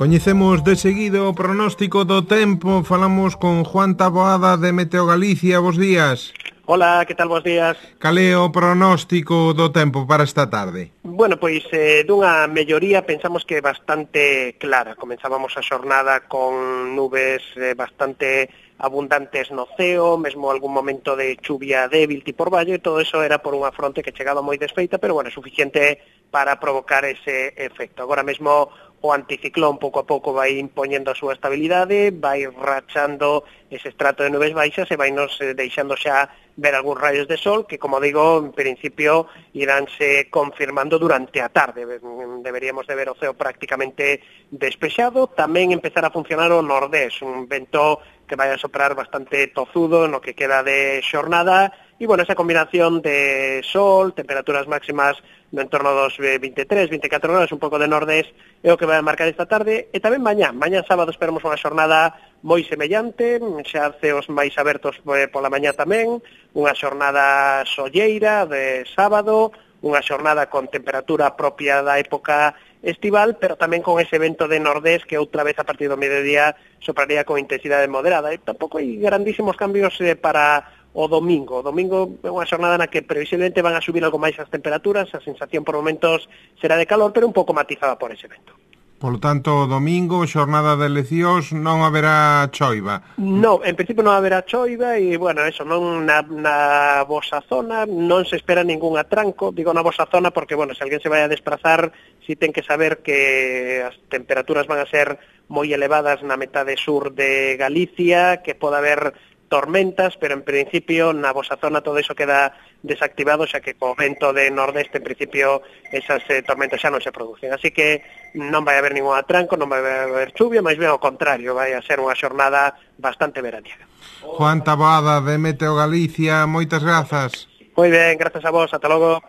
Coñecemos de seguido o pronóstico do tempo. Falamos con Juan Taboada de Meteo Galicia. Bos días. Hola, que tal, bos días? Cal é o pronóstico do tempo para esta tarde? Bueno, pois dunha melloría pensamos que bastante clara. Comenzábamos a xornada con nubes bastante abundantes no ceo, mesmo algún momento de chuvia débil tipo orballo, e todo eso era por unha fronte que chegaba moi desfeita, pero bueno, suficiente para provocar ese efecto. Agora mesmo o anticiclón pouco a pouco vai impoñendo a súa estabilidade, vai rachando ese estrato de nubes baixas e vai nos deixando xa ver algúns raios de sol que, como digo, en principio iránse confirmando durante a tarde. Deberíamos de ver o ceo prácticamente despexado, tamén empezar a funcionar o nordés, un vento que vai a soprar bastante tozudo no que queda de xornada, e, bueno, esa combinación de sol, temperaturas máximas no entorno dos 23, 24 grados, un pouco de nordés, é o que vai a marcar esta tarde, e tamén mañá sábado esperamos unha xornada moi semellante, xa ceos máis abertos pola mañá tamén, unha xornada solleira de sábado, unha xornada con temperatura propia da época estival, pero tamén con ese vento de nordés que outra vez a partir do mediodía sopraría con intensidade moderada. E tampouco hai grandísimos cambios para o domingo. O domingo é unha xornada na que previsiblemente van a subir algo máis as temperaturas, a sensación por momentos será de calor, pero un pouco matizada por ese vento. Polo tanto, domingo, xornada de eleccións, non haberá choiva. Non, en principio non haberá choiva e, bueno, eso, non na vosa zona, non se espera ningún atranco, digo na vosa zona porque, bueno, se alguén se vai a desplazar, si ten que saber que as temperaturas van a ser moi elevadas na metade sur de Galicia, que pode haber tormentas, pero en principio na vosa zona todo iso queda desactivado, xa que co vento de nordeste en principio esas tormentas xa non se producen. Así que non vai haber ningún atranco, non vai haber chuvia, máis ben ao contrario, vai a ser unha xornada bastante veraniega. Juan Taboada de Meteo Galicia, moitas grazas. Moi ben, grazas a vos, ata logo.